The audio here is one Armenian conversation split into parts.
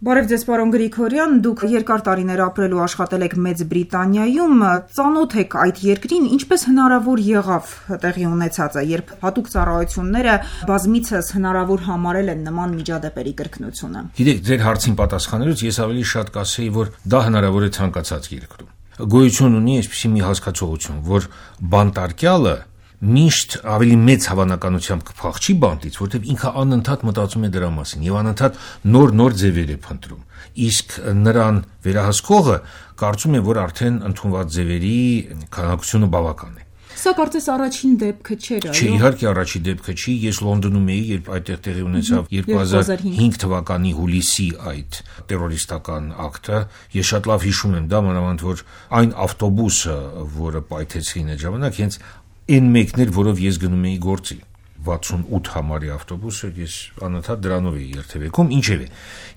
Բարև ձեզ, պարոն Գրիգորյան, դուք երկար տարիներ ապրել ու աշխատել եք Մեծ Բրիտանիայում, ծանոթ եք այդ երկրին, ինչպես հնարավոր եղավ տեղի ունեցածը, երբ հատուկ ծառայությունները բազմիցս հնարավոր համարել են նման միջադեպերի կրկնությունը։ Գիտեք, ձեր հարցին պատասխանելուց ես ավելի շատ կասեի, որ դա հնարավոր է ցանկացած երկրում։ Գոյություն ունի այսպիսի մի հասկացողություն, որ բանտարկյալը միշտ ավելի մեծ հավանականությամբ կփախչի բանտից, որտեղ ինքը անընդհատ մտածում է դրա մասին եւ անընդհատ նոր ձևեր է փնտրում։ Իսկ նրան վերահսկողը կարծում է, որ արդեն ընդունված ձևերի քանակությունը բավական է։ Սա կարծես առաջին դեպքը չէր, այո։ Չէ, իհարկե առաջին դեպքը չի։ Ես Լոնդոնում էի, երբ այդտեղ տեղի ունեցավ 2005 թվականի հուլիսի այդ տերորիստական ակտը։ Ես շատ լավ հիշում եմ դա, մանավանդ որ այն ավտոբուսը, որը պայթեցին այդ ժամանակ, հենց այն մեկն էր, որով ես գնում էի գործի, 68 համարի ավտոբուսը, ես անընդհատ դրանով էի երթևեկում, ինչևէ,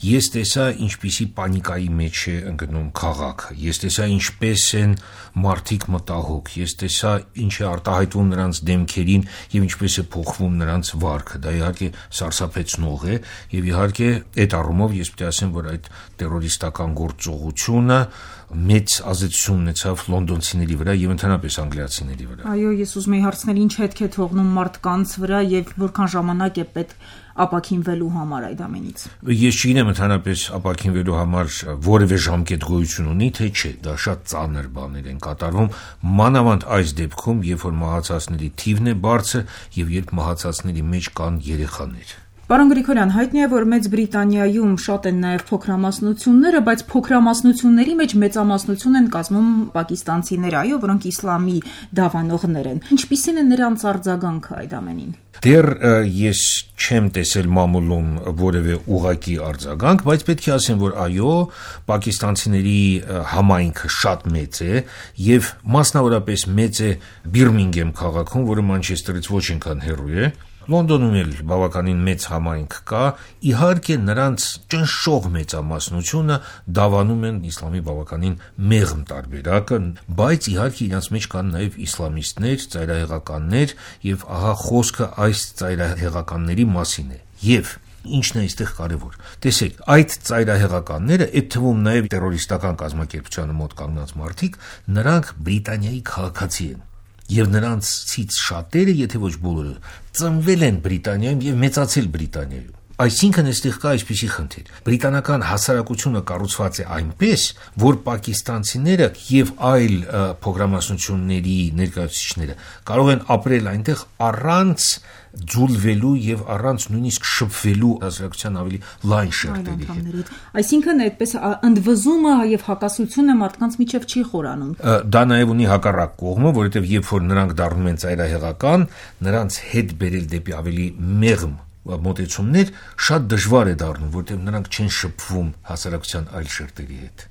ես տեսա ինչպիսի պանիկայի մեջ է ընկնում քաղաքը, ես տեսա ինչպես են մարդիկ մտահոգ, ես տեսա ինչ է արտահայտվում նրանց դեմքերին եւ ինչպես է փոխվում նրանց վարքը, դա իհարկե սարսափեցնող է եւ իհարկե այդ առումով ես պետք է ասեմ, որ այդ տերորիստական գործողությունը մեծ ազդեցություն ունեցավ լոնդոնցիների վրա եւ ընդհանրապես անգլիացիների վրա։ Այո, ես ուզում եի հարցնել, ինչ հետք է թողնում մարդկանց վրա եւ որքան ժամանակ է պետք ապաքինվելու համար այդ ամենից։ Ես չգիտեմ ընդհանրապես ապաքինվելու համար որևէ ժամկետ գոյություն ունի, թե չէ, դա շատ ծանր բաներ են կատարվում, մանավանդ այս դեպքում, երբ որ մահացածների թիվն է բարձր եւ երբ մահացածների մեջ կան երեխաներ։ Պարոն Գրիգորյան, հայտնի է, որ Մեծ Բրիտանիայում շատ են նաև փոքրամասնությունները, բայց փոքրամասնությունների մեջ մեծամասնություն են կազմում պակիստանցիները, այո, որոնք իսլամի դավանողներ են։ Ինչպիսին է նրանց արձագանքը այդ ամենին։ Դեռ ես չեմ տեսել մամուլում որևէ ուղղակի արձագանք, բայց պետք է ասեմ, որ այո, պակիստանցիների համայնքը շատ մեծ է եւ մասնավորապես մեծ է Բիրմինգեմ քաղաքում, որը Մանչեսթերից ոչ այնքան հեռու է։ Լոնդոնում էլ բավականին մեծ համայնք կա, իհարկե նրանց ճնշող մեծամասնությունը դավանում են իսլամի բավականին մեղմ տարբերակը, բայց իհարկե իրենց մեջ կան նաև իսլամիստներ, ծայրահեղականներ եւ ահա խոսքը այս ծայրահեղականների մասին է։ Եվ ինչն է այստեղ կարևոր։ Տեսեք, այդ ծայրահեղականները, այդ թվում նաև տերորիստական կազմակերպությանը մոտ կանգնած մարդիկ, նրանք Բրիտանիայի քաղաքացի են։ Եվ նրանցից շատերը, եթե ոչ բոլորը, ծնվել են Բրիտանիայում եւ մեծացել Բրիտանիայում։ Այսինքն այստեղ կա այսպիսի խնդիր։ Բրիտանական հասարակությունը կառուցված է այնպես, որ պակիստանցիները եւ այլ փոքրամասնությունների ներկայացուցիչները կարող են ապրել այնտեղ առանց ձուլվելու եւ առանց նույնիսկ շփվելու հասարակության ավելի լայն շերտերի հետ։ Այսինքն այդպես ընդվզումը եւ հակասությունը մարդկանց միջև չի խորանում։ Դա նաեւ ունի հակառակ կողմը, որովհետեւ երբ որ նրանք դառնում են ծայրահեղական, նրանց հետ բերել դեպի ավելի մեղմ մոտեցումներ շատ դժվար է դառնում, որովհետեւ նրանք չեն շփվում հասարակության այլ շերտերի հետ։